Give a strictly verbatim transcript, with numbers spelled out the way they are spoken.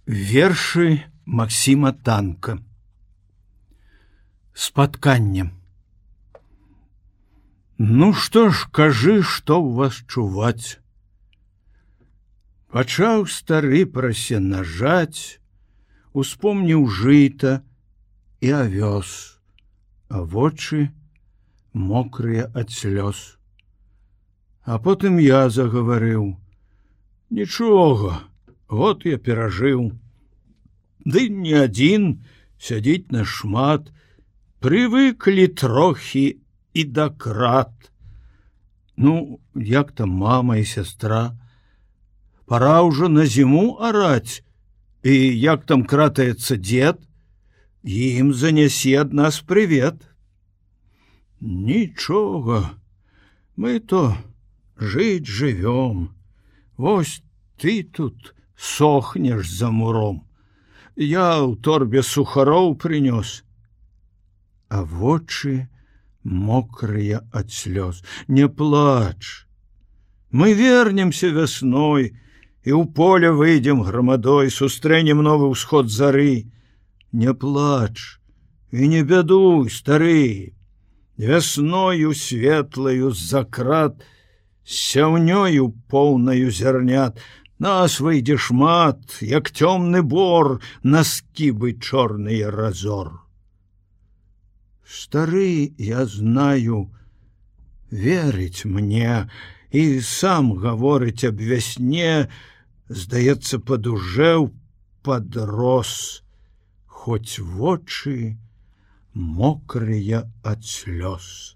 Вершы Максима Танка. Спатканне. Ну што ж, кажы, што ў вас чуваць. Пачаў стары прасенажаць, успомніў жыта і авёс, а вочы мокрыя ад слёз. А потым я загаварыў: нічога, год я перажыў. Ды не адзін, сядзіць нашмат, прывыклі трохі і да крат. Ну, як там мама і сястра? Пора ўжо на зіму араць. І як там кратаецца дзед? Ім занясі ад нас прывет. Нічога, мы то жыць жывём. Вось ты тут сохнеш за муром. Я ў торбе сухароў прынёс. А вочы мокрыя ад слёз. Не плач. Мы вернемся вясной і ў поле выйдзем грамадой, сустрэнем новы ўсход зары. Не плач і не бядуй, стары. Вясною светлаю з-за крат, сяўнёю поўнаю зярнят, нас выйдзе шмат, як цёмны бор, на скібы чорныя разор. Стары, я знаю, верыць мне і сам гаворыць аб вясне, здаецца, падужэў, падрос, хоць вочы мокрыя ад слёз.